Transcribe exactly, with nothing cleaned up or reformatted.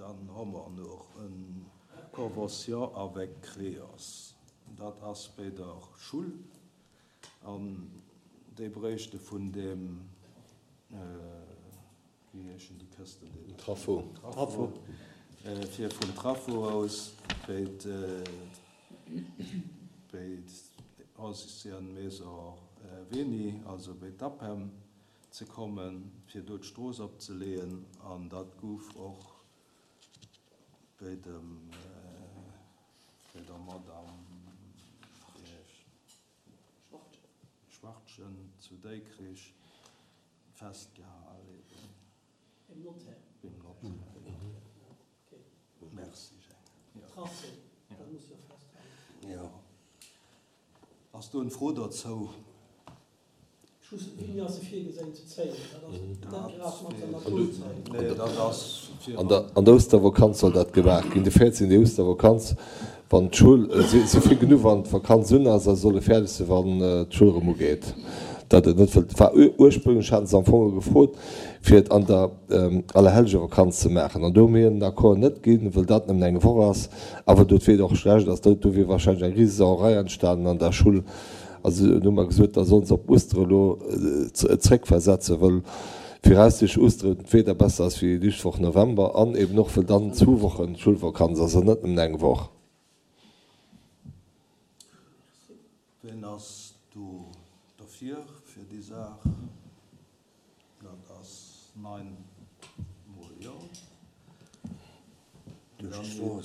Dann hu mer nach eng Convention avec Creos. Dat ass bei der Schoul an déi bréichte vun deem, wéi heeschen déi Kësten, déi. Trafo. Trafo. Fir vum Trafo aus bei d'Ancienne Maison Veni, also bei d'APEM ze kommen, fir do d'Strooss opzeleeën. An dat gouf och bei dem, bei der Madame, wéi heescht, Schwartgen zu Dikrich festgehal eben. Beim Notaire. Beim Notaire, jo. Merci, Jang. Tracé, dat muss jo festhalen. Jo. Ass do en Fro dozou? Just, wéini ass se virgesinn ze zéien? Dat ass net grad mat der Naturzäit. Nee, dat ass fir. An der, an der Ouschtervakanz soll dat gemaach ginn, de véierzéngten déi Ouschtervakanz, wann d'Schoul, si si fänken u wann d'Vakanz un ass a solle fäerdeg sinn, wann d'Schoul erëm ugeet. Dat et net wëllt, war ursprünglech haten se am Fong gefrot, fir et an der Allerhellgevakanz ze maachen. An do hu mir hinnen den Accord net ginn, wëll dat nëmmen eng Woch ass a wëll do d'Wieder och schlecht ass. Do do wier wahrscheinlech eng Risesauerei entstanen an der Schull. Also dunn hu mer gesot, da solle se op Oustere elo zréckversetzen, wëll viraussichtlech Oustere d'Wieder besser ass wéi déi éischt Woch November an eben och wëll dann zwou Wochen Schoulvakanz ass an net nëmmen eng Woch. Ween ass do derfir, fir déi Saach? Dat ass neun mol Jo. Duerch d'Strooss.